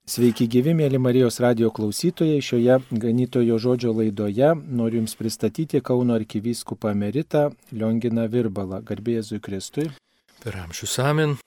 Sveiki gyvi, mėly Marijos radijo klausytojai. Šioje ganytojo žodžio laidoje noriu Jums pristatyti Kauno arkivyskupą emeritą Lionginą Virbalą. Garbė Jėzui Kristui. Per amžius amen.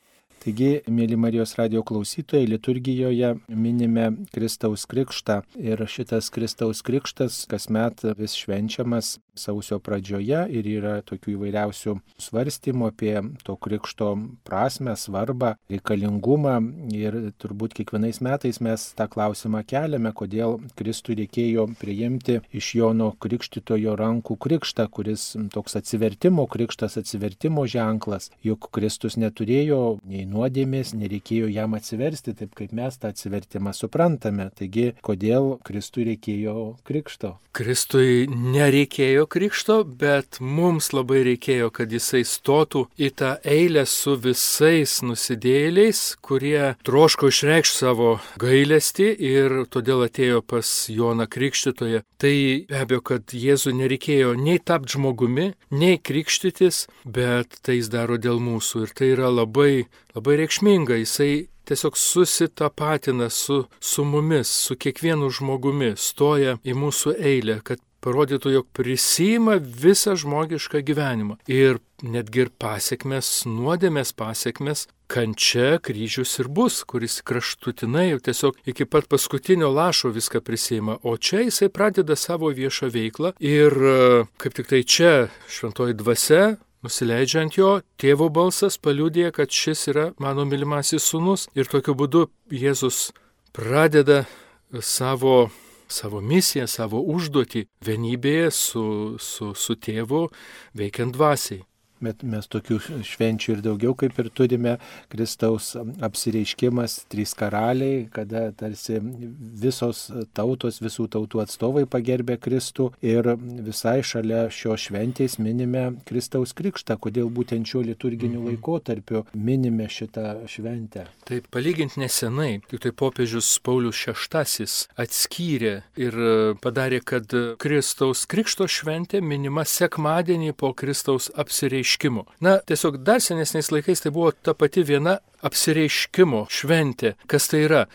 Taigi, mėly Marijos radijo klausytojai, liturgijoje minime Kristaus krikštą ir šitas Kristaus krikštas kasmet vis švenčiamas sausio pradžioje ir yra tokių įvairiausių svarstymų apie to krikšto prasmę, svarbą, reikalingumą ir turbūt kiekvienais metais mes tą klausimą keliame, kodėl Kristui reikėjo priimti iš Jono Krikštytojo rankų krikštą, kuris toks atsivertimo krikštas, atsivertimo ženklas, juk Kristus neturėjo nei nuodėmės, nereikėjo jam atsiversti, taip kaip mes tą atsivertimą suprantame. Taigi, kodėl Kristui reikėjo krikšto? Kristui nereikėjo krikšto, bet mums labai reikėjo, kad jisai stotų į tą eilę su visais nusidėjėliais, kurie troško išreikšti savo gailestį ir todėl atėjo pas Joną Krikštytoją. Tai be abejo, kad Jėzui nereikėjo nei tapti žmogumi, nei krikštytis, bet tai jis daro dėl mūsų ir tai yra labai reikšminga. Jisai tiesiog susitapatina su mumis, su kiekvienu žmogumi, stoja į mūsų eilę, kad parodytų, jog prisiima visą žmogišką gyvenimą. Ir netgi ir pasiekmes, nuodėmės pasiekmes, kančia, kryžius ir bus, kuris kraštutinai jau tiesiog iki pat paskutinio lašo viską prisiima. O čia jisai pradeda savo viešą veiklą ir kaip tik tai čia šventoji dvasia, nusileidžia ant jo, tėvo balsas paliudija, kad šis yra mano mylimasis sūnus. Ir tokiu būdu Jėzus pradeda savo misiją, savo užduotį vienybėje su tėvu veikiant dvasiai. Bet mes tokių švenčių ir daugiau kaip ir turime. Kristaus apsireiškimas, 3 karaliai, kada tarsi visos tautos, visų tautų atstovai pagerbė Kristų ir visai šalia šio šventės minime Kristaus krikštą. Kodėl būtent šiuo liturginiu laikotarpiu minime šitą šventę? Taip, palyginti nesenai, tik tai popiežius Paulius VI atskyrė ir padarė, kad Kristaus krikšto šventė minima sekmadienį po Kristaus apsireiškimo. Na, tiesiog dar senesniais laikais tai buvo ta pati viena apsireiškimo šventė. Kas tai yra?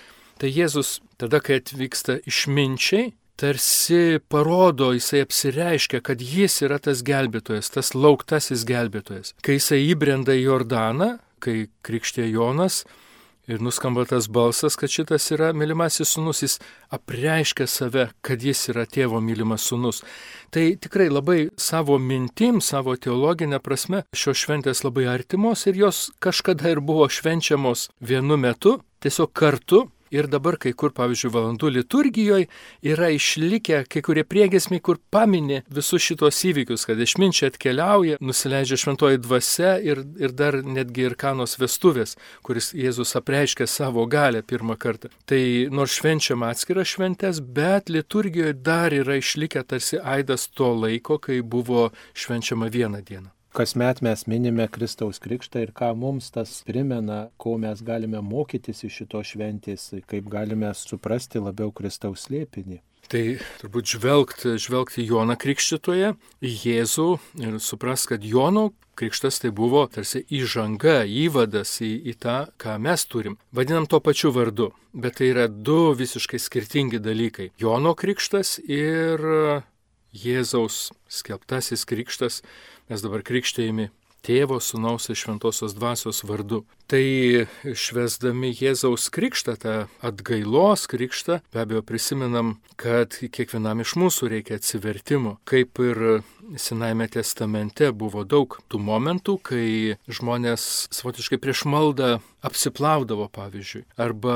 Tai Jėzus tada, kai atvyksta išminčiai, tarsi parodo, jisai apsireiškia, kad jis yra tas gelbėtojas, tas lauktasis gelbėtojas. Kai jisai įbrenda į Jordaną, kai krikštė Jonas, ir nuskamba tas balsas, kad šitas yra mylimasis sūnus, jis apreiškia save, kad jis yra tėvo mylimas sūnus. Tai tikrai labai savo mintim, savo teologinę prasme šios šventės labai artimos ir jos kažkada ir buvo švenčiamos vienu metu, tiesiog kartu. Ir dabar kai kur, pavyzdžiui, valandų liturgijoje yra išlikę kai kurie priegiesmiai, kur pamini visus šitos įvykius, kad išminčiai atkeliauja, nusileidžia šventoji dvasia ir dar netgi ir Kanos vestuvės, kuris Jėzus apreiškia savo galią pirmą kartą. Tai nors švenčiama atskiras šventės, bet liturgijoje dar yra išlikę tarsi aidas to laiko, kai buvo švenčiama vieną dieną. Kasmet mes minime Kristaus krikštą ir ką mums tas primena, ko mes galime mokytis iš šitos šventės, kaip galime suprasti labiau Kristaus slėpinį. Tai turbūt žvelgti Joną Krikštytoją, Jėzų ir supras, kad Jono krikštas tai buvo tarsi įžanga, įvadas į tą, ką mes turim. Vadinam to pačiu vardu, bet tai yra 2 visiškai skirtingi dalykai. Jono krikštas ir Jėzaus skelbtasis krikštas. Mes dabar krikštėjami Tėvo, Sūnaus ir Šventosios Dvasios vardu. Tai švęsdami Jėzaus krikštą, tą atgailos krikštą, be abejo prisimenam, kad kiekvienam iš mūsų reikia atsivertimo. Kaip ir Senajame testamente buvo daug tų momentų, kai žmonės savotiškai prieš maldą apsiplaudavo, pavyzdžiui. Arba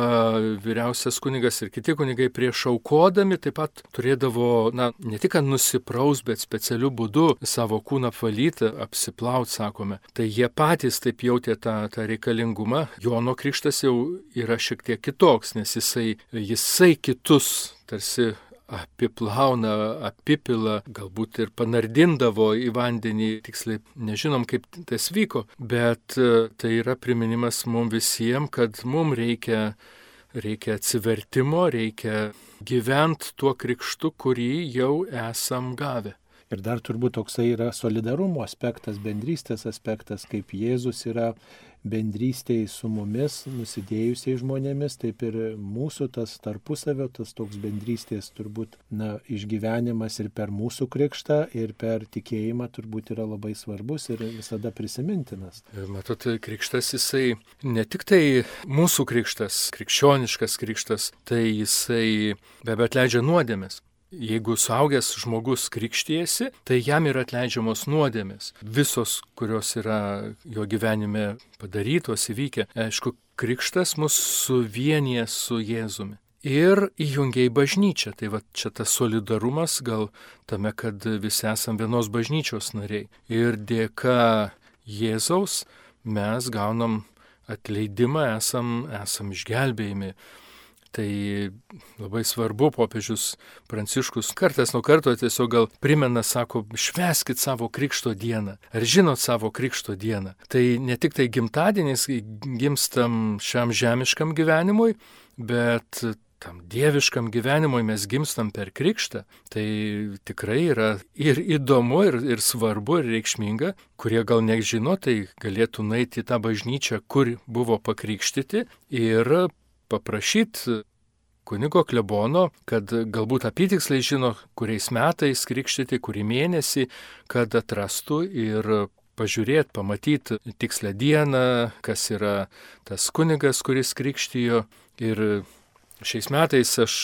vyriausias kunigas ir kiti kunigai prieš aukodami taip pat turėdavo, ne tik nusipraus, bet specialiu būdu savo kūną apvalyti, apsiplaut, sakome. Tai jie patys taip jautė tą reikalingumą. Jono krikštas jau yra šiek tiek kitoks, nes jisai kitus tarsi apiplauna, apipila, galbūt ir panardindavo į vandenį, tiksliai nežinom, kaip tas vyko, bet tai yra priminimas mums visiems, kad mums reikia atsivertimo, reikia gyventi tuo krikštu, kurį jau esam gavę. Ir dar turbūt toksai yra solidarumo aspektas, bendrystės aspektas, kaip Jėzus yra bendrystėje su mumis, nusidėjusiais žmonėmis, taip ir mūsų tas tarpusavio, tas toks bendrystės turbūt išgyvenimas ir per mūsų krikštą, ir per tikėjimą turbūt yra labai svarbus ir visada prisimintinas. Matot, krikštas jisai ne tik tai mūsų krikštas, krikščioniškas krikštas, tai jisai be abejo atleidžia nuodėmes. Jeigu suaugęs žmogus krikštijasi, tai jam yra atleidžiamos nuodėmės. Visos, kurios yra jo gyvenime padarytos, įvykę. Aišku, krikštas mus suvienyje su Jėzumi. Ir įjungia į bažnyčią. Tai va čia tas solidarumas gal tame, kad visi esam vienos bažnyčios nariai. Ir dėka Jėzaus mes gaunam atleidimą, esam išgelbėjami. Tai labai svarbu, popiežius Pranciškus kartas nuo karto tiesiog gal primena, sako, švęskit savo krikšto dieną. Ar žinot savo krikšto dieną? Tai ne tik tai gimtadienis, gimstam šiam žemiškam gyvenimui, bet tam dieviškam gyvenimui mes gimstam per krikštą. Tai tikrai yra ir įdomu, ir svarbu, ir reikšminga. Kurie gal nežino, tai galėtų nueiti į tą bažnyčią, kur buvo pakrikštyti ir paprašyti kunigo klebono, kad galbūt apytiksliai žino, kuriais metais krikštyti, kurį mėnesį, kad atrastų ir pažiūrėti, pamatyti tikslę dieną, kas yra tas kunigas, kuris krikštijo. Ir šiais metais aš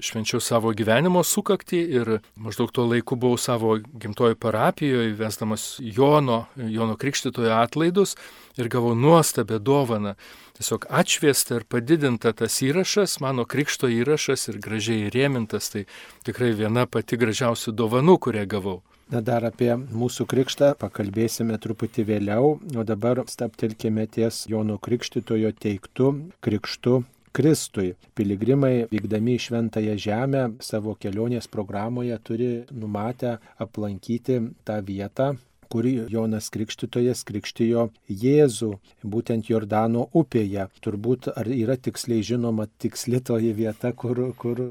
švenčiau savo gyvenimo sukaktį ir maždaug tuo laiku buvau savo gimtojo parapijoje, vesdamas Jono Krikštitojo atlaidus ir gavau nuostabią dovaną. Tiesiog atšviesta ir padidinta tas įrašas, mano krikšto įrašas ir gražiai įrėmintas, tai tikrai viena pati gražiausių dovanų, kurią gavau. Dar apie mūsų krikštą pakalbėsime truputį vėliau, o dabar stabtelkime ties Jono Krikštitojo teiktu krikštu Kristui. Piligrimai vykdami į Šventąją Žemę savo kelionės programoje turi numatę aplankyti tą vietą, kur Jonas Krikštytojas krikštijo Jėzų, būtent Jordano upėje. Turbūt ar yra tiksliai žinoma tiksli toji vieta, kur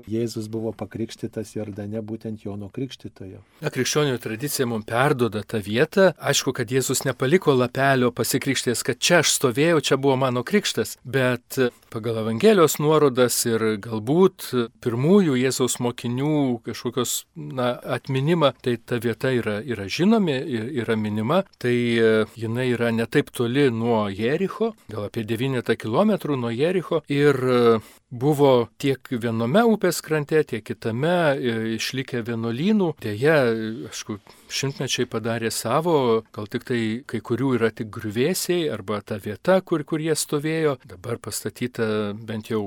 Jėzus buvo pakrikštytas Jordane, būtent Jono Krikštytojo. Krikščionių tradicija mums perduoda tą vietą. Aišku, kad Jėzus nepaliko lapelio pasikrikštės, kad čia aš stovėjau, čia buvo mano krikštas, bet pagal Evangelijos nuorodas ir galbūt pirmųjų Jėzaus mokinių kažkokios atminimą, tai ta vieta yra žinomi, yra minima, tai jinai yra ne taip toli nuo Jericho, gal apie 9 km nuo Jericho, ir buvo tiek viename upės krante, tiek kitame išlikę vienuolynų. Deja, aišku, šimtmečiai padarė savo, gal tik tai kai kurių yra tik griuvėsiai arba ta vieta, kur jie stovėjo. Dabar pastatyta bent jau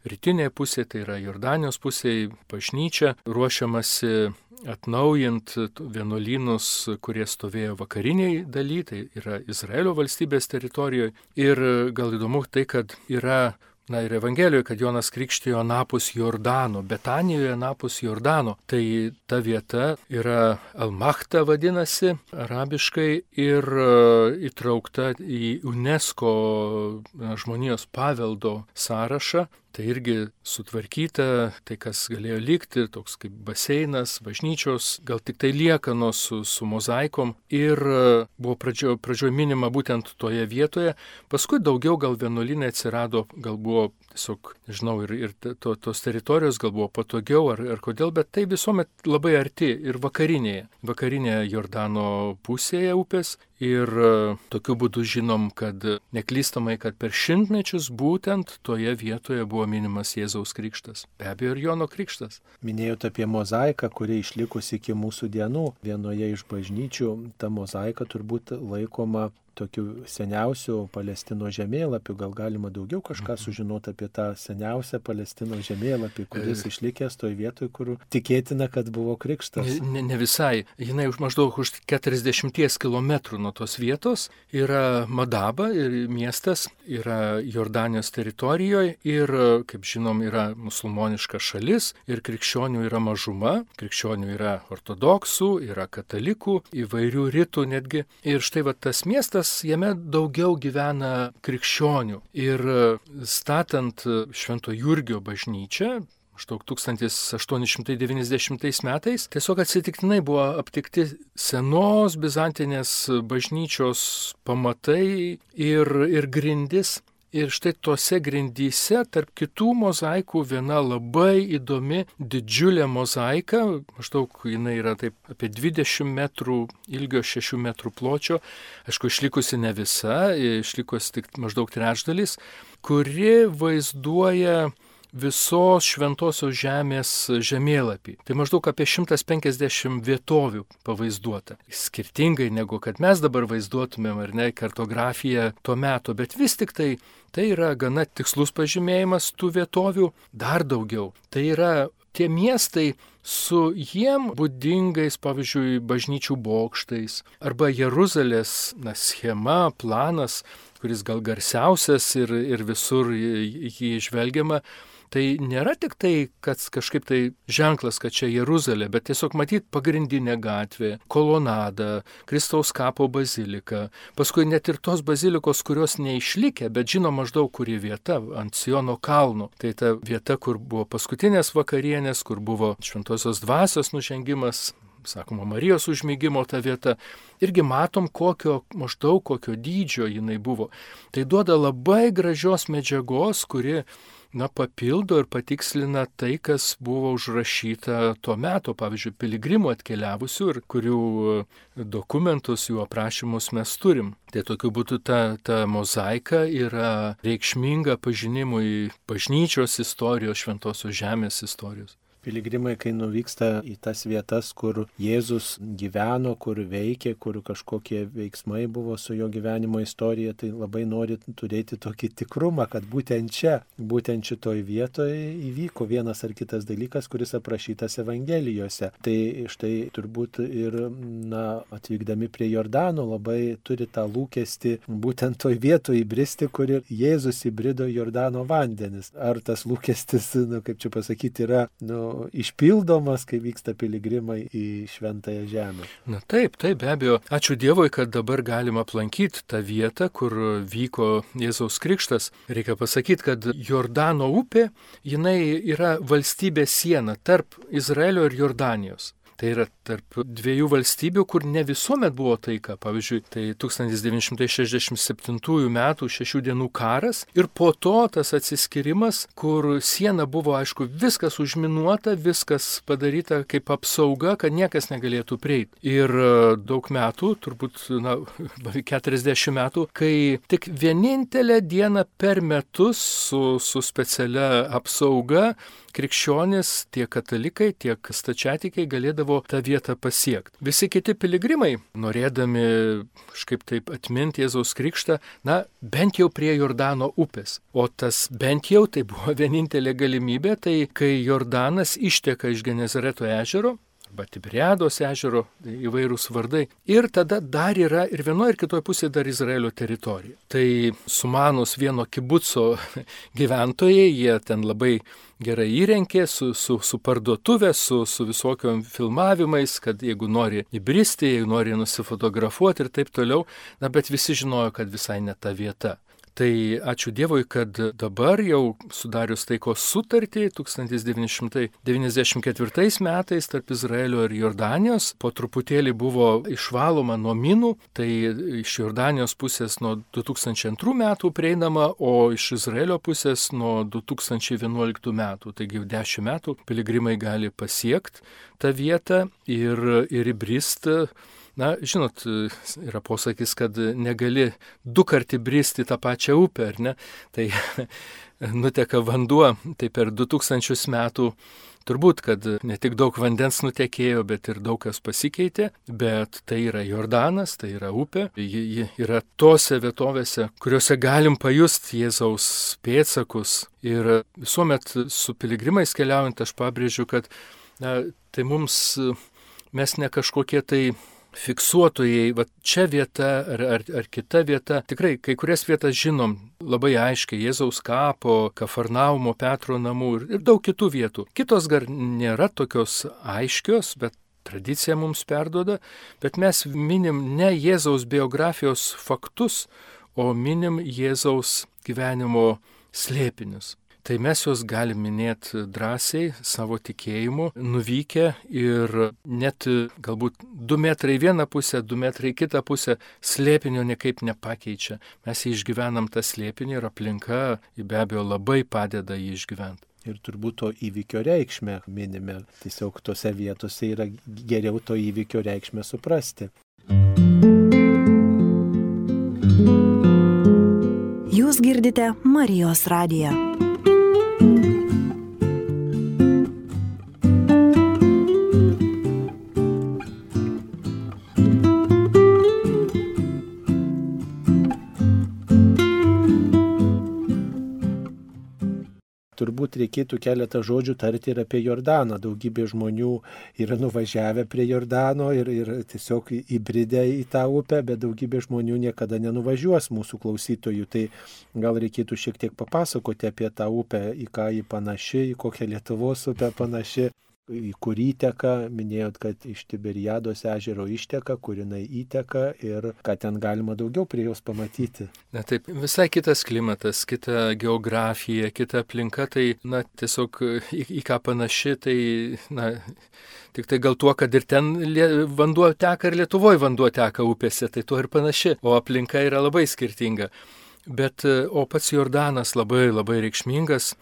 rytinėje pusėje, tai yra Jordanijos pusėje, bažnyčia, ruošiamasi atnaujint vienuolynus, kurie stovėjo vakariniai daly, tai yra Izraelio valstybės teritorijoje. Ir gal įdomu tai, kad yra ir Evangelijoje, kad Jonas krikštijo anapus Jordano, Betanijoje anapus Jordano. Tai ta vieta yra Al-Mahta vadinasi arabiškai ir įtraukta į UNESCO žmonijos paveldo sąrašą. Tai irgi sutvarkyta, tai kas galėjo likti, toks kaip baseinas, bažnyčios, gal tik tai liekanos su mozaikom. Ir buvo pradžioj minima būtent toje vietoje. Paskui daugiau gal vienuolynai atsirado, gal buvo tiesiog, nežinau, ir tos teritorijos gal buvo patogiau ar kodėl, bet tai visuomet labai arti ir vakarinėje Jordano pusėje upės. Ir tokiu būdu žinom, kad neklystamai, kad per šimtmečius būtent toje vietoje buvo minimas Jėzaus krikštas. Be abejo ir Jono krikštas. Minėjote apie mozaiką, kuri išlikusi iki mūsų dienų. Vienoje iš bažnyčių ta mozaika turbūt laikoma tokiu seniausiu Palestinos žemėlapiu. Gal galima daugiau kažką sužinoti apie tą seniausią Palestinos žemėlapį, kuris išlikęs toje vietoje, kur tikėtina, kad buvo krikštas. Ne visai. Jinai maždaug už 40 km nuo tos vietos yra Madaba ir miestas, yra Jordanijos teritorijoje ir, kaip žinom, yra musulmoniška šalis ir krikščionių yra mažuma. Krikščionių yra ortodoksų, yra katalikų, įvairių ritų netgi. Ir štai va tas miestas, jame daugiau gyvena krikščionių. Ir statant Švento Jurgio bažnyčią, maždaug 1890 metais, tiesiog atsitiktinai buvo aptikti senos bizantinės bažnyčios pamatai ir grindis. Ir štai tose grindyse, tarp kitų mozaikų, viena labai įdomi, didžiulė mozaika, maždaug jinai yra taip apie 20 metrų ilgio, 6 metrų pločio, aišku, išlikusi ne visa, išlikusi tik maždaug trečdalis, kuri vaizduoja visos Šventosios žemės žemėlapį. Tai maždaug apie 150 vietovių pavaizduota. Skirtingai negu kad mes dabar vaizduotumėm, ar ne, kartografiją tuo metu, bet vis tik tai yra gana tikslus pažymėjimas tų vietovių, dar daugiau. Tai yra tie miestai su jiem būdingais, pavyzdžiui, bažnyčių bokštais, arba Jeruzalės schema, planas, kuris gal garsiausias ir visur jį žvelgiama. Tai nėra tik tai, kad kažkaip tai ženklas, kad čia Jeruzalė, bet tiesiog matyti pagrindinė gatvė, kolonada, Kristaus kapo bazilika, paskui net ir tos bazilikos, kurios neišlikė, bet žino maždaug kuri vieta, ant Siono kalno. Tai ta vieta, kur buvo paskutinės vakarienės, kur buvo Šventosios dvasios nužengimas, sakoma, Marijos užmigimo ta vieta, irgi matom, maždaug kokio dydžio jinai buvo. Tai duoda labai gražios medžiagos, kuri papildo ir patikslina tai, kas buvo užrašyta tuo metu, pavyzdžiui, piligrimų atkeliavusių ir kurių dokumentus, jų aprašymus mes turim. Tai tokiu būdu ta mozaika yra reikšminga pažinimui bažnyčios istorijos, Šventosios žemės istorijos. Piligrimai, kai nuvyksta į tas vietas, kur Jėzus gyveno, kur veikė, kur kažkokie veiksmai buvo su jo gyvenimo istorija, tai labai nori turėti tokį tikrumą, kad būtent čia, būtent šitoj vietoje įvyko vienas ar kitas dalykas, kuris aprašytas Evangelijose. Tai štai turbūt ir atvykdami prie Jordano labai turi tą lūkestį būtent toj vietoje įbristi, kur ir Jėzus įbrido Jordano vandenis. Ar tas lūkestis, kaip čia pasakyti, yra išpildomas, kai vyksta piligrimai į Šventąją žemę? Na taip, be abejo. Ačiū Dievui, kad dabar galima aplankyti tą vietą, kur vyko Jėzaus krikštas. Reikia pasakyti, kad Jordano upė, jinai yra valstybės siena tarp Izraelio ir Jordanijos. Tai yra tarp dviejų valstybių, kur ne visuomet buvo taika. Pavyzdžiui, tai 1967 metų 6 dienų karas ir po to tas atsiskyrimas, kur siena buvo, aišku, viskas užminuota, viskas padaryta kaip apsauga, kad niekas negalėtų prieiti. Ir daug metų, turbūt 40 metų, kai tik vienintelę dieną per metus su specialia apsauga krikščionys, tiek katalikai, tiek stačiatikiai galėdavo tą vietą pasiekti. Visi kiti piligrimai, norėdami kažkaip taip atminti Jėzaus krikštą, bent jau prie Jordano upės. O tas bent jau tai buvo vienintelė galimybė, tai kai Jordanas išteka iš Genezareto ežero, arba Tiberiados ežero, įvairūs vardai. Ir tada dar yra ir vienoje ir kitoje pusėje dar Izraelio teritorija. Tai sumanus vieno kibuco gyventojai, jie ten labai gerai įrenkė su parduotuvė, su visokiom filmavimais, kad jeigu nori įbristi, jeigu nori nusifotografuoti ir taip toliau, bet visi žinojo, kad visai ne ta vieta. Tai ačiū Dievui, kad dabar jau sudarius taikos sutartį 1994 metais tarp Izraelio ir Jordanijos po truputėlį buvo išvaloma nuo minų, tai iš Jordanijos pusės nuo 2002 metų prieinama, o iš Izraelio pusės nuo 2011 metų. Taigi jau 10 metų piligrimai gali pasiekti tą vietą ir įbristi. Žinot, yra posakis, kad negali du kartų bristi tą pačią upę, ar ne? Tai nuteka vanduo, tai per 2000 metų turbūt, kad ne tik daug vandens nutekėjo, bet ir daug kas pasikeitė, bet tai yra Jordanas, tai yra upė, ji yra tose vietovėse, kuriuose galim pajusti Jėzaus pėdsakus. Ir visuomet su piligrimais keliaujant aš pabrėžiu, kad tai mes ne kažkokie tai fiksuotojai, čia vieta ar kita vieta. Tikrai, kai kurias vietas žinom labai aiškiai, Jėzaus kapo, Kafarnaumo, Petro namų ir daug kitų vietų. Kitos gar nėra tokios aiškios, bet tradicija mums perduoda, bet mes minim ne Jėzaus biografijos faktus, o minim Jėzaus gyvenimo slėpinius. tai mes juos galim minėti drąsiai savo tikėjimu, nuvykę ir net galbūt 2 metrai į vieną pusę, 2 metrai į kitą pusę slėpinio niekaip nepakeičia. Mes jį išgyvenam tą slėpinį ir aplinka be abejo labai padeda jį išgyventi. Ir turbūt to įvykio reikšmę minime. Tiesiog tose vietose yra geriau to įvykio reikšmę suprasti. Jūs girdite Marijos radiją. Turbūt reikėtų keletą žodžių tarti ir apie Jordaną. Daugybė žmonių yra nuvažiavę prie Jordano ir tiesiog įbridę į tą upę, bet daugybė žmonių niekada nenuvažiuos mūsų klausytojų. Tai gal reikėtų šiek tiek papasakoti apie tą upę, į ką ji panaši, į kokią Lietuvos upę panaši, į kur įteka. Minėjot, kad iš Tiberiados ežero išteka, kur jinai įteka ir ką ten galima daugiau prie jos pamatyti. Na taip, visai kitas klimatas, kita geografija, kita aplinka, tai tiesiog į ką panaši, tai tik tai gal tuo, kad ir ten vanduo teka ir Lietuvoje vanduo teka upėse, tai tuo ir panaši, o aplinka yra labai skirtinga. Bet, o pats Jordanas labai labai reikšmingas.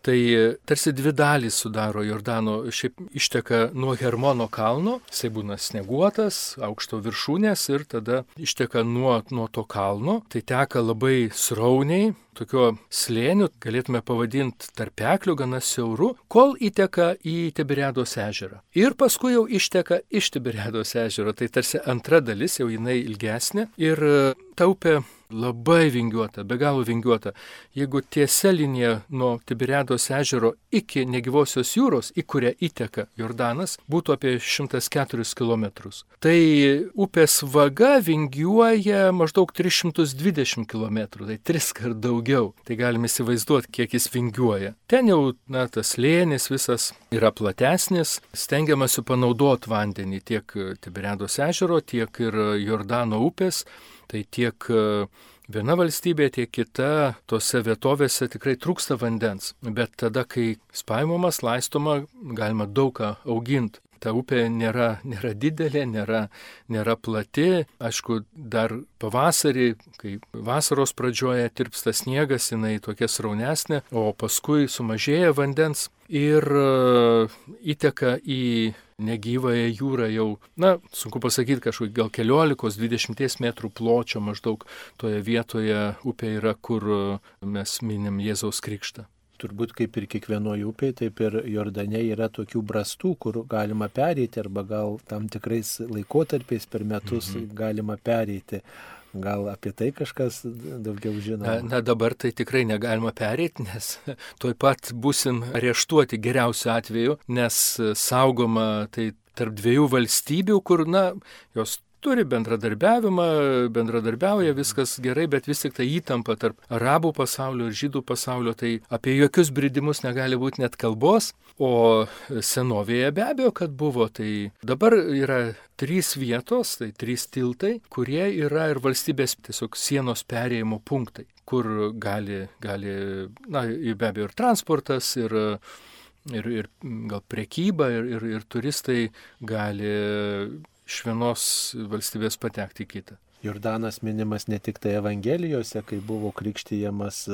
Tai tarsi 2 dalys sudaro Jordano, šiaip išteka nuo Hermono kalno, jisai būna snieguotas, aukšto viršūnės ir tada išteka nuo to kalno, tai teka labai srauniai, tokio slėnių, galėtume pavadinti tarpekliu, gana siauru, kol įteka į Tiberiados ežerą. Ir paskui jau išteka iš Tiberiados ežero, tai tarsi antra dalis, jau jinai ilgesnė ir ta upė labai vingiuota, be galo vingiuota. Jeigu tiesia linija nuo Tiberiados ežero iki negyvosios jūros, į kurią įteka Jordanas, būtų apie 104 km. Tai upės vaga vingiuoja maždaug 320 km, tai 3 kart daugiau. Tai galime įsivaizduoti, kiek jis vingiuoja. Ten jau tas slėnis visas yra platesnis, stengiamasi panaudoti vandenį tiek Tiberiados ežero, tiek ir Jordano upės. Tai tiek viena valstybė, tiek kita, tose vietovėse tikrai trūksta vandens. Bet tada, kai spaimamas, laistoma, galima daug ką auginti. Ta upė nėra didelė, nėra plati. Aišku, dar pavasarį, kai vasaros pradžioje tirpsta sniegas, jinai tokia sraunesnė, o paskui sumažėja vandens ir įteka į negyvąją jūrą jau, sunku pasakyti, kažkokį gal 14-20 metrų pločio maždaug toje vietoje upė yra, kur mes minim Jėzaus krikštą. Turbūt kaip ir kiekvienoje upėje, taip ir Jordane yra tokių brastų, kur galima pereiti arba gal tam tikrais laikotarpiais per metus galima pereiti. Gal apie tai kažkas daugiau žino? Dabar tai tikrai negalima pereiti, nes tuoj pat būsim areštuoti geriausiu atveju, nes saugoma tai tarp 2 valstybių, kur, jos turi bendradarbiauja, viskas gerai, bet vis tik tai įtampa tarp arabų pasaulio ir žydų pasaulio, tai apie jokius bridimus negali būti net kalbos, o senovėje be abejo, kad buvo, tai dabar yra 3 vietos, tai 3 tiltai, kurie yra ir valstybės tiesiog sienos perėjimo punktai, kur gali be abejo ir transportas, ir gal prekyba, ir turistai gali iš vienos valstybės patekti į kitą. Jordanas minimas ne tik tai Evangelijose, kai buvo krikštijamas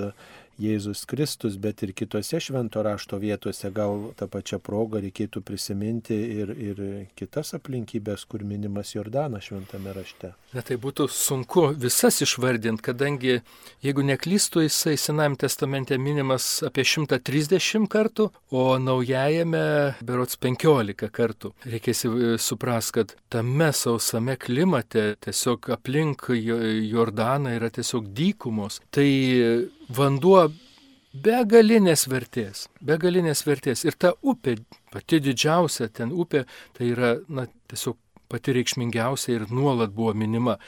Jėzus Kristus, bet ir kitose švento rašto vietose. Gal tą pačią progą reikėtų prisiminti ir kitas aplinkybės, kur minimas Jordanas šventame rašte. Tai būtų sunku visas išvardinti, kadangi, jeigu neklystu, jisai Senajame testamente minimas apie 130 kartų, o Naujajame berods 15 kartų. Reikės suprast, kad tame sausame klimate, tiesiog aplink Jordaną yra tiesiog dykumos. Tai vanduo begalinės vertės. Ir ta upė, pati didžiausia ten upė, tai yra tiesiog pati reikšmingiausia ir nuolat buvo minima.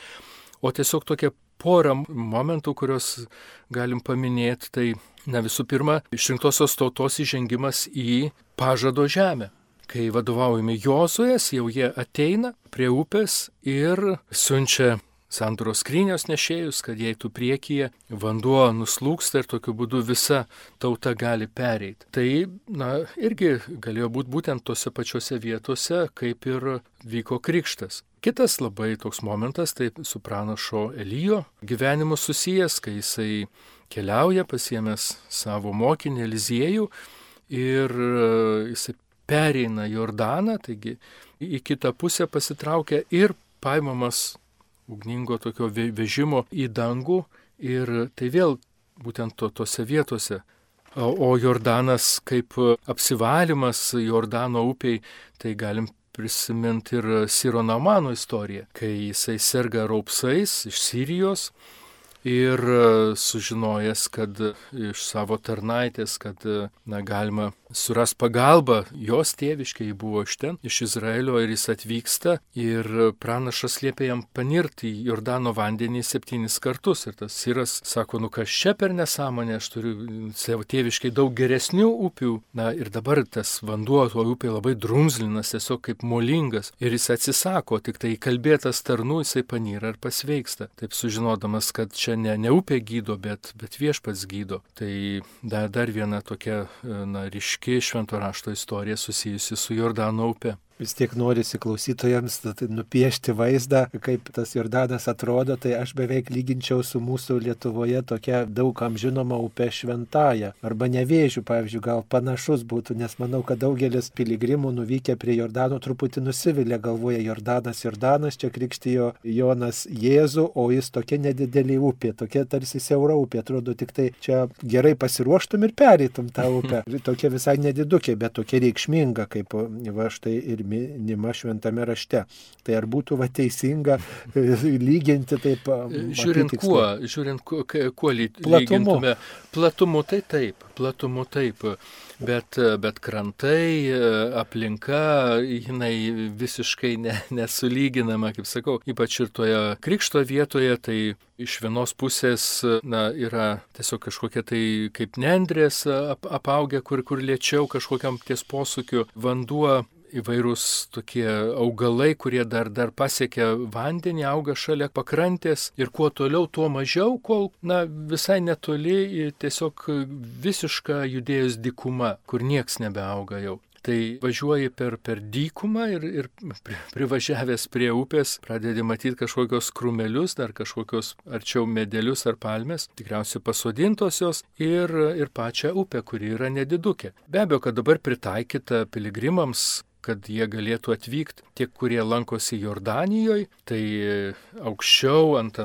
O tiesiog tokia pora momentų, kuriuos galim paminėti, tai visų pirma, išrinktosios tautos įžengimas į pažado žemę. Kai vadovaujami Jozuės, jau jie ateina prie upės ir siunčia sandoros skrynios nešėjus, kad jei tu priekyje, vanduo nuslūksta ir tokiu būdu visa tauta gali pereiti. Tai, irgi galėjo būti būtent tose pačiose vietose, kaip ir vyko krikštas. Kitas labai toks momentas, tai su pranašo Elijo gyvenimu susijęs, kai jisai keliauja, pasiėmęs savo mokinį Eliziejų ir jisai pereina Jordaną, taigi į kitą pusę pasitraukia ir paimamas ugningo tokio vežimo į dangų ir tai vėl būtent tose vietose. O Jordanas kaip apsivalymas Jordano upiai, tai galim prisiminti ir Siro Naamano istoriją, kai jisai serga raupsais iš Sirijos ir sužinojęs, kad iš savo tarnaitės, kad galima suras pagalbą, jos tėviškė, ji buvo iš ten, iš Izraelio ir jis atvyksta ir pranašas liepia jam panirti į Jordano vandenį 7 kartus ir tas Siras sako, kas čia per nesąmonę, aš turiu savo tėviškai daug geresnių upių, ir dabar tas vanduo, to upė labai drumzlinas, tiesiog kaip molingas ir jis atsisako, tik tai įkalbėtas tarnų jisai panyra ir pasveiksta, taip sužinodamas, kad čia ne upė gydo, bet viešpats gydo. Tai dar viena tokia ryški švento rašto istorija susijusi su Jordano upe. Vis tiek norisi klausytojams nupiešti vaizdą, kaip tas Jordanas atrodo, tai aš beveik lyginčiau su mūsų Lietuvoje tokia daugam žinoma upė Šventąja. Arba Nevėžiu, pavyzdžiui, gal panašus būtų, nes manau, kad daugelis piligrimų nuvykę prie Jordano truputį nusivilia, galvoja Jordanas, čia krikštijo Jonas Jėzų, o jis tokia nedidelė upė, tokia tarsi siaura upė, atrodo tik tai čia gerai pasiruoštum ir pereitum tą upę. Tokia visai nedidukė, bet tokia reikšminga, kaip štai ir minima šventame rašte. Tai ar būtų teisinga lyginti taip? Žiūrint kuo lygintume. Platumu tai taip. Bet krantai, aplinka, jinai visiškai nesulyginama, kaip sakau, ypač ir toje krikšto vietoje, tai iš vienos pusės yra tiesiog kažkokie tai kaip nendrės apaugę, kur lėčiau kažkokiam ties posūkiu vanduo, įvairūs tokie augalai, kurie dar pasiekia vandenį, auga šalia pakrantės ir kuo toliau, tuo mažiau, kol visai netoli tiesiog visiška Judėjos dykuma, kur nieks nebeauga jau. Tai važiuoji per dykumą ir privažiavęs prie upės pradedi matyti kažkokios krūmelius, dar kažkokios arčiau medelius ar palmės, tikriausiai pasodintos jos ir pačią upę, kuri yra nedidukė. Be abejo, kad dabar pritaikyta piligrimams, kad jie galėtų atvykti tiek, kurie lankosi Jordanijoje, tai aukščiau ant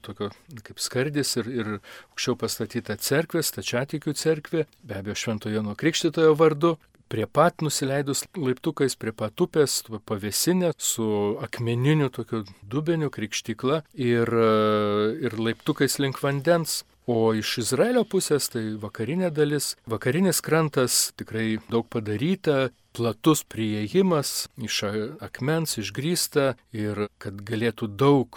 tokio kaip skardis ir aukščiau pastatyta cerkvė, stačiatikių cerkvė, be abejo Švento Jono Krikštytojo vardu, prie pat nusileidus laiptukais, prie pat upės, pavėsinė su akmeniniu tokiu dubeniu krikštykla ir laiptukais link vandens. O iš Izraelio pusės tai vakarinė dalis, vakarinis krantas tikrai daug padaryta, platus priėjimas iš akmens išgrįsta ir kad galėtų daug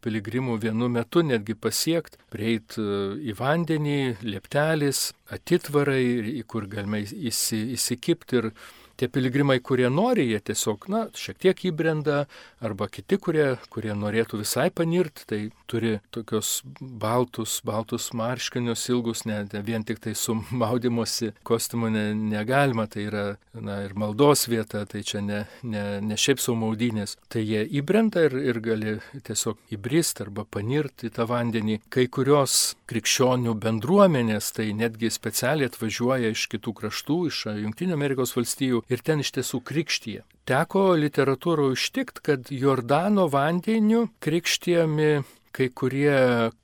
piligrimų vienu metu netgi pasiekti, prieiti į vandenį, lieptelis, atitvarai, kur galime įsikipti ir tie piligrimai, kurie nori, jie tiesiog, šiek tiek įbrenda, arba kiti, kurie norėtų visai panirti, tai turi tokios baltus marškinius ilgus, ne vien tik tai su maudymosi kostiumu negalima, tai yra ir maldos vieta, tai čia ne šiaip sau maudynės. Tai jie įbrenda ir gali tiesiog įbrist arba panirti į tą vandenį. Kai kurios krikščionių bendruomenės, tai netgi specialiai atvažiuoja iš kitų kraštų, iš Jungtinių Amerikos valstijų, ir ten iš tiesų krikštyje. Teko literatūroje užtikti, kad Jordano vandeniu krikštijami kai kurie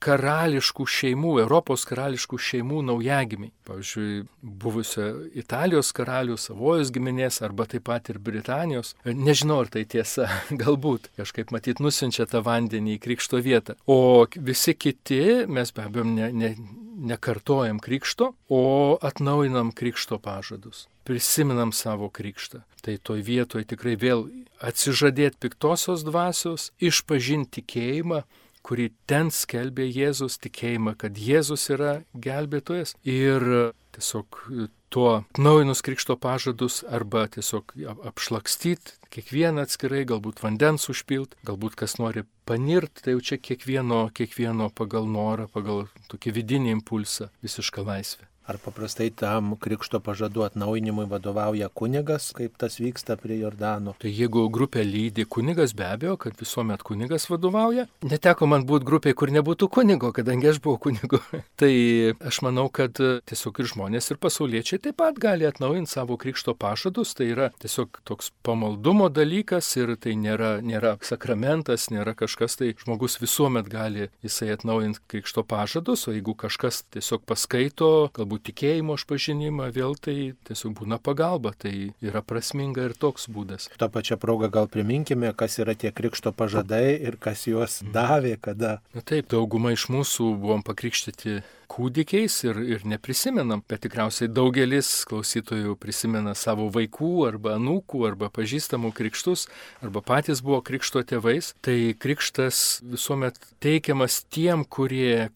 karališkų šeimų, Europos karališkų šeimų naujagimiai. Pavyzdžiui, buvusio Italijos karalių, Savojos giminės arba taip pat ir Britanijos. Nežinau, ar tai tiesa, galbūt kažkaip matyt nusiunčia tą vandenį į krikšto vietą. O visi kiti, mes be abejo nekartojam krikšto, o atnaujinam krikšto pažadus. Prisiminam savo krikštą. Tai toj vietoje tikrai vėl atsižadėti piktosios dvasios, išpažinti tikėjimą, kurį ten skelbė Jėzus, tikėjimą, kad Jėzus yra gelbėtojas ir tiesiog tuo atnaujinus krikšto pažadus arba tiesiog apšlakstyti kiekvieną atskirai, galbūt vandens užpilt, galbūt kas nori panirt, tai jau čia kiekvieno pagal norą, pagal tokį vidinį impulsą, visišką laisvę. Ar paprastai tam krikšto pažadų atnaujinimui vadovauja kunigas, kaip tas vyksta prie Jordano? Tai jeigu grupė lydi kunigas, be abejo, kad visuomet kunigas vadovauja. Neteko man būti grupėje, kur nebūtų kunigo, kadangi aš buvau kunigu. Tai aš manau, kad tiesiog ir žmonės, ir pasauliečiai taip pat gali atnaujinti savo krikšto pažadus. Tai yra tiesiog toks pamaldumo dalykas ir tai nėra sakramentas, nėra kažkas, tai žmogus visuomet gali jisai atnaujinti krikšto pažadus, o jeigu kažkas tiesiog paskaito, galbūt tikėjimo išpažinimą, vėl tai tiesiog būna pagalba, tai yra prasminga ir toks būdas. Ta pačia proga gal priminkime, kas yra tie krikšto pažadai ir kas juos davė, kada. Na taip, dauguma iš mūsų buvom pakrikštyti kūdikiais ir neprisimenam, bet tikriausiai daugelis klausytojų prisimena savo vaikų arba anūkų arba pažįstamų krikštus arba patys buvo krikšto tėvais. Tai krikštas visuomet teikiamas tiem, kurie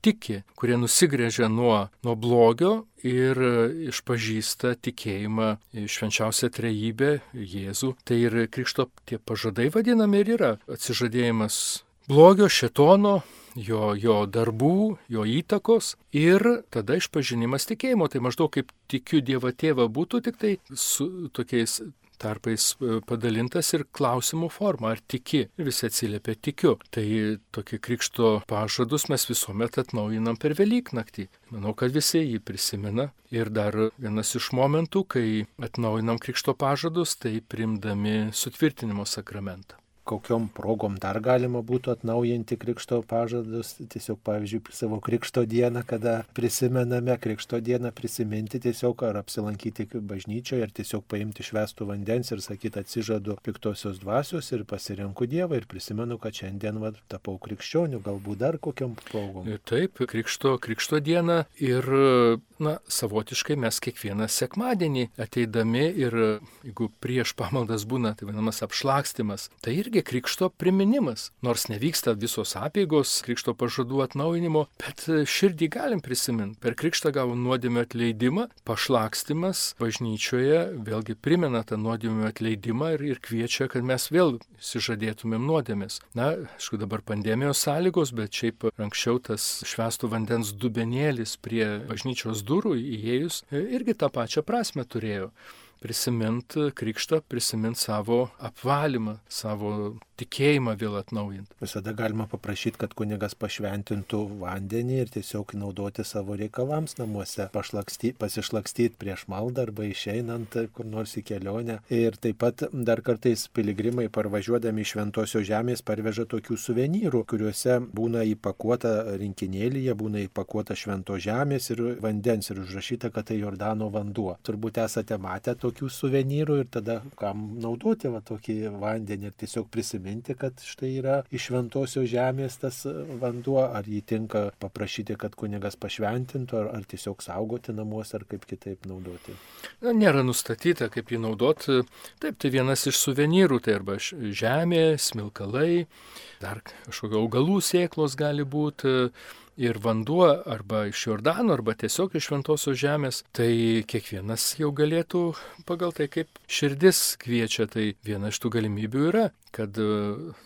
tiki, kurie nusigręžia nuo blogio ir išpažįsta tikėjimą švenčiausią trejybę Jėzų. Tai ir krikšto tie pažadai vadinami ir yra atsižadėjimas blogio, šėtono, jo darbų, jo įtakos ir tada išpažinimas tikėjimo. Tai maždaug kaip tikiu Dievą Tėvą būtų, tik tai su tokiais tarpais padalintas ir klausimų forma, ar tiki. Ir visi atsiliepia tikiu. Tai tokie krikšto pažadus mes visuomet atnaujinam per Velyknaktį. Manau, kad visi jį prisimena. Ir dar vienas iš momentų, kai atnaujinam krikšto pažadus, tai priimdami sutvirtinimo sakramentą. Kokiom progom dar galima būtų atnaujinti krikšto pažadus, tiesiog pavyzdžiui savo krikšto dieną, kada prisimename krikšto dieną, prisiminti tiesiog ar apsilankyti bažnyčioje, ar tiesiog paimti švęstų vandens ir sakyti atsižadu piktosios dvasios ir pasirenku Dievą ir prisimenu, kad šiandien tapau krikščioniu, galbūt dar kokiom progom. Taip, krikšto dieną ir savotiškai mes kiekvieną sekmadienį ateidami ir jeigu prieš pamaldas būna tai vadinamas apšlakstymas, tai irgi krikšto priminimas. Nors nevyksta visos apeigos krikšto pažadų atnaujinimo, bet širdį galim prisiminti. Per krikštą gavom nuodėmio atleidimą, pašlakstymas bažnyčioje vėlgi primena tą nuodėmio atleidimą ir kviečia, kad mes vėl išsižadėtumėm nuodėmės. Aišku, dabar pandemijos sąlygos, bet šiaip anksčiau tas švęsto vandens dubenėlis prie bažnyčios durų įėjus irgi tą pačią prasme turėjo. Prisimint krikštą, prisimint savo apvalymą, savo tikėjimą vėl atnaujinti. Visada galima paprašyti, kad kunigas pašventintų vandenį ir tiesiog naudoti savo reikalams namuose, pasišlakstyti prieš maldą arba išeinant kur nors į kelionę. Ir taip pat dar kartais piligrimai parvažiuodami iš Šventosios žemės parveža tokių suvenyrų, kuriuose būna įpakuota rinkinėlyje, būna įpakuota Šventos žemės ir vandens ir užrašyta, kad tai Jordano vanduo. Turbūt esate matę tokių suvenyrų ir tada kam naudoti tokį vandenį ir tiesiog prisiminti, kad štai yra iš Šventosios žemės tas vanduo, ar jį tinka paprašyti, kad kunigas pašventintų, ar tiesiog saugoti namuose, ar kaip kitaip naudoti. Nėra nustatyta, kaip jį naudoti. Taip, tai vienas iš suvenyrų, tai arba žemė, smilkalai, dar kažkokio augalų sėklos gali būti. Ir vanduo arba iš Jordano, arba tiesiog iš Šventosios žemės, tai kiekvienas jau galėtų pagal tai, kaip širdis kviečia, tai viena iš tų galimybių yra, kad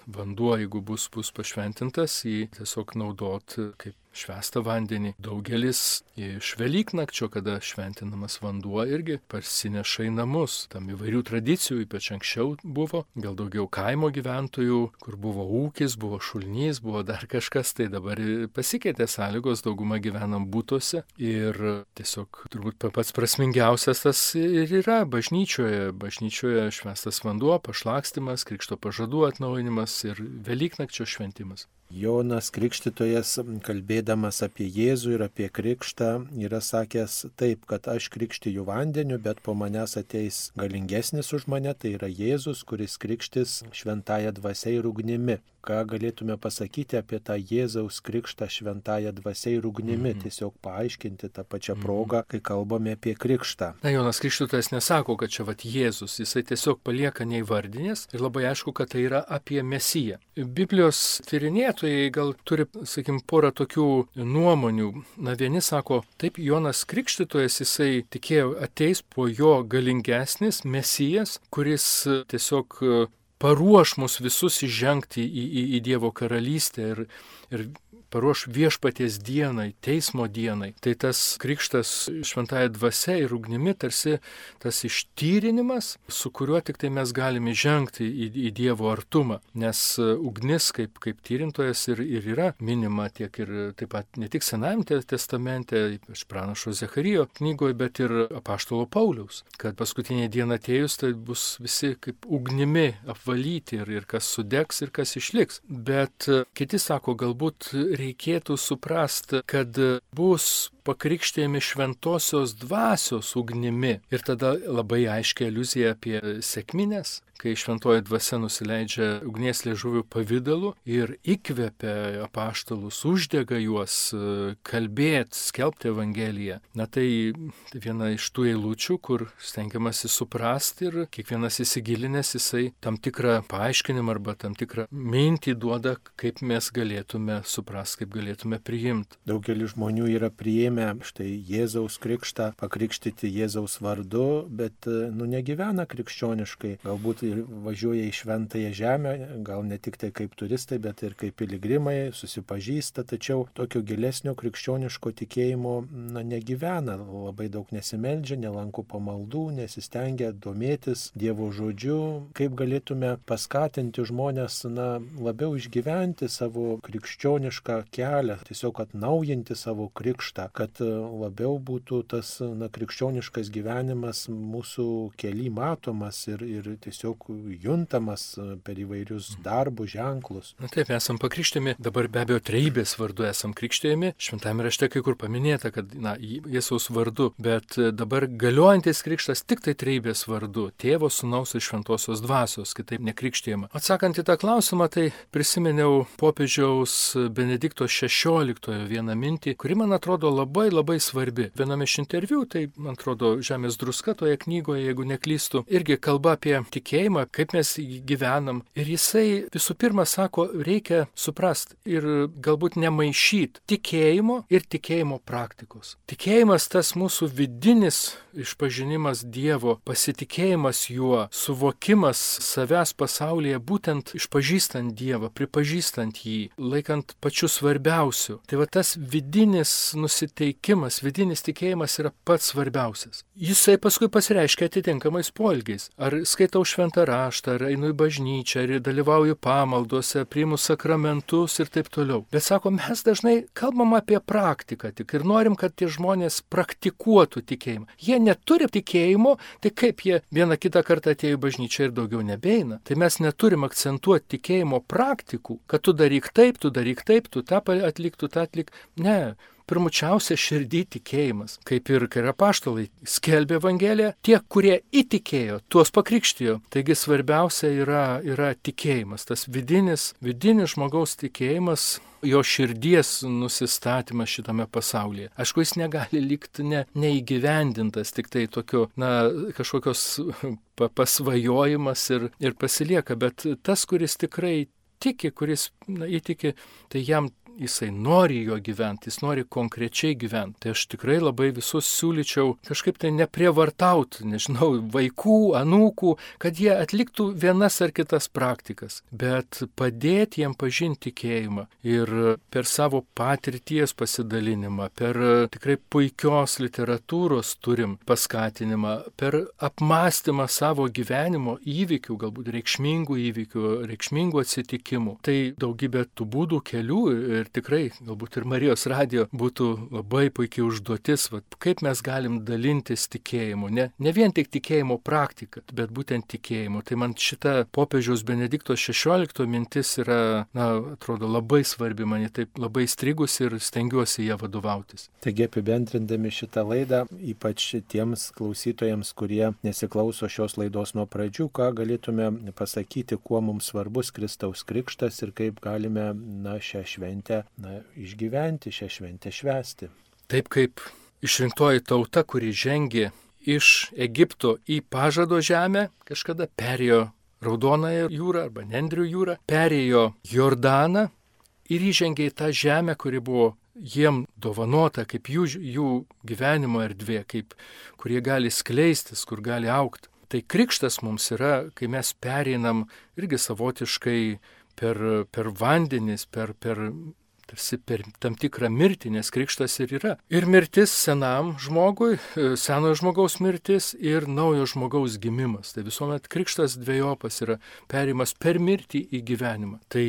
vanduo, jeigu bus pašventintas, jį tiesiog naudot kaip švęstą vandenį. Daugelis iš Velyknakčio, kada šventinamas vanduo, irgi parsineša į namus. Tam įvairių tradicijų, ypač anksčiau buvo, gal daugiau kaimo gyventojų, kur buvo ūkis, buvo šulnys, buvo dar kažkas, tai dabar pasikeitė sąlygos, dauguma gyvenam būtuose ir tiesiog turbūt pats prasmingiausias tas ir yra bažnyčioje švęstas vanduo, pašlakstymas, krikšto pažadų atnaujinimas ir Velyknakčio šventimas. Jonas Krikštytojas, kalbėdamas apie Jėzų ir apie krikštą, yra sakęs taip, kad aš krikštiju vandeniu, bet po manęs ateis galingesnis už mane, tai yra Jėzus, kuris krikštis šventąja dvasia ir ugnimi. ką galėtume pasakyti apie tą Jėzaus krikštą šventąja dvasia ir ugnimi, tiesiog paaiškinti tą pačią progą, kai kalbame apie krikštą. Na, Jonas Krikštytojas nesako, kad čia Jėzus, jisai tiesiog palieka neįvardinės ir labai aišku, kad tai yra apie Mesiją. Biblijos tyrinėtojai gal turi, porą tokių nuomonių. Na, vieni sako, taip, Jonas Krikštytojas, jisai tikėjo ateis po jo galingesnis Mesijas, kuris tiesiog paruoš mus visus įžengti į Dievo karalystę ir paruoš viešpaties dienai, teismo dienai. Tai tas krikštas šventąja dvasia ir ugnimi tarsi tas ištyrinimas, su kuriuo tik tai mes galime žengti į Dievo artumą. Nes ugnis kaip tyrintojas ir yra minima tiek ir taip pat ne tik Senajame testamente, ypač pranašo Zecharijo knygoje, bet ir apaštalo Pauliaus, kad paskutinė diena atėjus, tai bus visi kaip ugnimi apvalyti ir kas sudegs ir kas išliks. Bet kiti sako, galbūt reikėtų suprasti, kad bus pakrikštėjami šventosios dvasios ugnimi. Ir tada labai aiškiai aliuzija apie sekmines, kai šventoji dvasia nusileidžia ugnies liežuvių pavidalu ir įkvepia apaštalus, uždega juos kalbėti, skelbti Evangeliją. Na tai viena iš tų eilučių, kur stengiamasi suprasti ir kiekvienas įsigilinęs jisai tam tikrą paaiškinimą arba tam tikrą mintį duoda, kaip mes galėtume suprasti, kaip galėtume priimti. Daugelis žmonių yra priėmę štai Jėzaus krikštą, pakrikštyti Jėzaus vardu, bet negyvena krikščioniškai. Galbūt ir važiuoja į šventąją žemę, gal ne tik tai kaip turistai, bet ir kaip piligrimai, susipažįsta, tačiau tokio gilesnio krikščioniško tikėjimo negyvena, labai daug nesimeldžia, nelanko pamaldų, nesistengia domėtis Dievo žodžiu. Kaip galėtume paskatinti žmonės labiau išgyventi savo krikščionišką kelią, tiesiog atnaujinti savo krikštą, kad labiau būtų tas krikščioniškas gyvenimas mūsų kely matomas ir tiesiog juntamas per įvairius darbus, ženklus. Na taip, esam pakrikštėjami, dabar be abejo trejybės vardu esam krikštėjami, šventame rašte kai kur paminėta, kad Jėzaus vardu, bet dabar galiojantis krikštas tik tai trejybės vardu, Tėvo, Sūnaus ir Šventosios dvasios, kitaip nekrikštėjama. Atsakant į tą klausimą, tai prisiminiau popiežiaus Benedikto XVI vieną mintį, kuri man atrodo labai svarbi. Viename iš interviu, tai man atrodo Žemės druska toje knygoje, jeigu neklystu, irgi kalba apie tikėjimą, kaip mes gyvenam. Ir jisai visų pirma sako, reikia suprasti ir galbūt nemaišyti tikėjimo ir tikėjimo praktikos. Tikėjimas tas mūsų vidinis išpažinimas Dievo, pasitikėjimas juo, suvokimas savęs pasaulyje, būtent išpažįstant Dievą, pripažįstant jį, laikant pačiu svarbiausiu. Tai va tas vidinis nusiteikimas, vidinis tikėjimas yra pats svarbiausias. Jisai paskui pasireiškia atitinkamais poelgiais. Ar skaitau šventą raštą, ar einu į bažnyčią, ar dalyvauju pamaldose, priimu sakramentus ir taip toliau. Bet sako, mes dažnai kalbam apie praktiką tik ir norim, kad tie žmonės praktikuotų tikėjimą. Jie neturi tikėjimo, tai kaip jie vieną kitą kartą atėjo į bažnyčią ir daugiau nebeina. Tai mes neturim akcentuoti tikėjimo praktikų, kad tu daryk taip, tu tą atlik, tu tą atlik. Ne. Pirmučiausia širdį tikėjimas, kaip ir kai apaštalai skelbė Evangeliją, tie, kurie įtikėjo, tuos pakrikštijo. Taigi svarbiausia yra tikėjimas, tas vidinis žmogaus tikėjimas, jo širdies nusistatymas šitame pasaulyje. Aišku, jis negali likti neįgyvendintas, tik tai tokio, kažkokios pasvajojimas ir pasilieka, bet tas, kuris tikrai tiki, kuris įtiki, tai jam jisai nori jo gyventi, jis nori konkrečiai gyventi. Tai aš tikrai labai visus siūlyčiau kažkaip tai neprievartauti, vaikų, anūkų, kad jie atliktų vienas ar kitas praktikas, bet padėti jiem pažinti tikėjimą ir per savo patirties pasidalinimą, per tikrai puikios literatūros turim paskatinimą, per apmąstymą savo gyvenimo įvykių, galbūt reikšmingų įvykių, reikšmingų atsitikimų. Tai daugybė tų būdų, kelių ir tikrai galbūt ir Marijos radijo būtų labai puikiai užduotis, kaip mes galim dalintis tikėjimu, ne vien tik tikėjimo praktika, bet būtent tikėjimu. Tai man šita popiežiaus Benedikto XVI mintis yra, atrodo, labai svarbi, man taip labai strigus ir stengiuosi ją vadovautis. Taigi apibendrindami šitą laidą, ypač tiems klausytojams, kurie nesiklauso šios laidos nuo pradžių, ką galėtume pasakyti, kuo mums svarbus Kristaus krikštas ir kaip galime šią šventę išgyventi, šią šventę švęsti. Taip kaip išrinktoji tauta, kuri žengė iš Egipto į pažado žemę, kažkada perėjo Raudonąją jūrą arba Nendrių jūrą, perėjo Jordaną ir įžengė į tą žemę, kuri buvo jiem dovanota kaip jų gyvenimo erdvė, kur jie gali skleistis, kur gali augti. Tai krikštas mums yra, kai mes pereinam irgi savotiškai per vandenis, per tam tikrą mirtį, nes krikštas ir yra. Ir mirtis senam žmogui, senojo žmogaus mirtis ir naujo žmogaus gimimas. Tai visuomet krikštas dvejopas yra perėjimas per mirtį į gyvenimą. Tai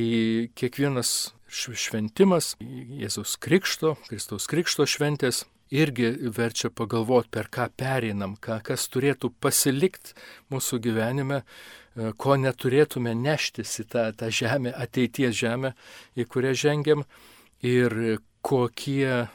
kiekvienas šventimas Jėzaus Krikšto, Kristaus Krikšto šventės irgi verčia pagalvoti, per ką pereinam, kas turėtų pasilikti mūsų gyvenime, ko neturėtume neštis į tą žemę, ateities žemę, į kurią žengiam, ir kokie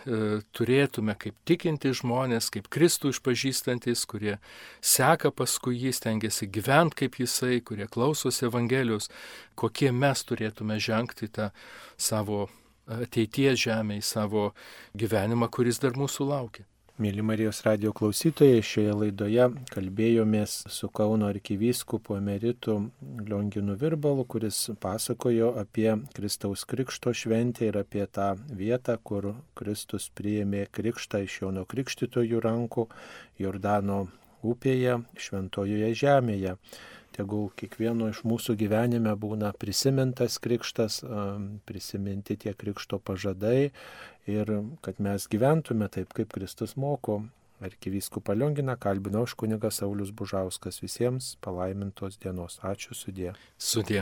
turėtume kaip tikinti žmonės, kaip Kristų išpažįstantis, kurie seka paskui jį, stengiasi gyventi kaip jisai, kurie klausosi Evangelijos, kokie mes turėtume žengti tą savo ateities žemę, į savo gyvenimą, kuris dar mūsų laukia. Mėly Marijos radijo klausytojai, šioje laidoje kalbėjomės su Kauno arkivyskupu emeritu Lionginu Virbalu, kuris pasakojo apie Kristaus Krikšto šventę ir apie tą vietą, kur Kristus priėmė krikštą iš Jono Krikštytojo rankų Jordano upėje, šventojoje žemėje. Tegul kiekvieno iš mūsų gyvenime būna prisimintas krikštas, prisiminti tie krikšto pažadai ir kad mes gyventume taip, kaip Kristus moko. Arkivyskupą Lionginą kalbino aš kunigas Saulius Bužauskas. Visiems palaimintos dienos. Ačiū, sudie. Sudie.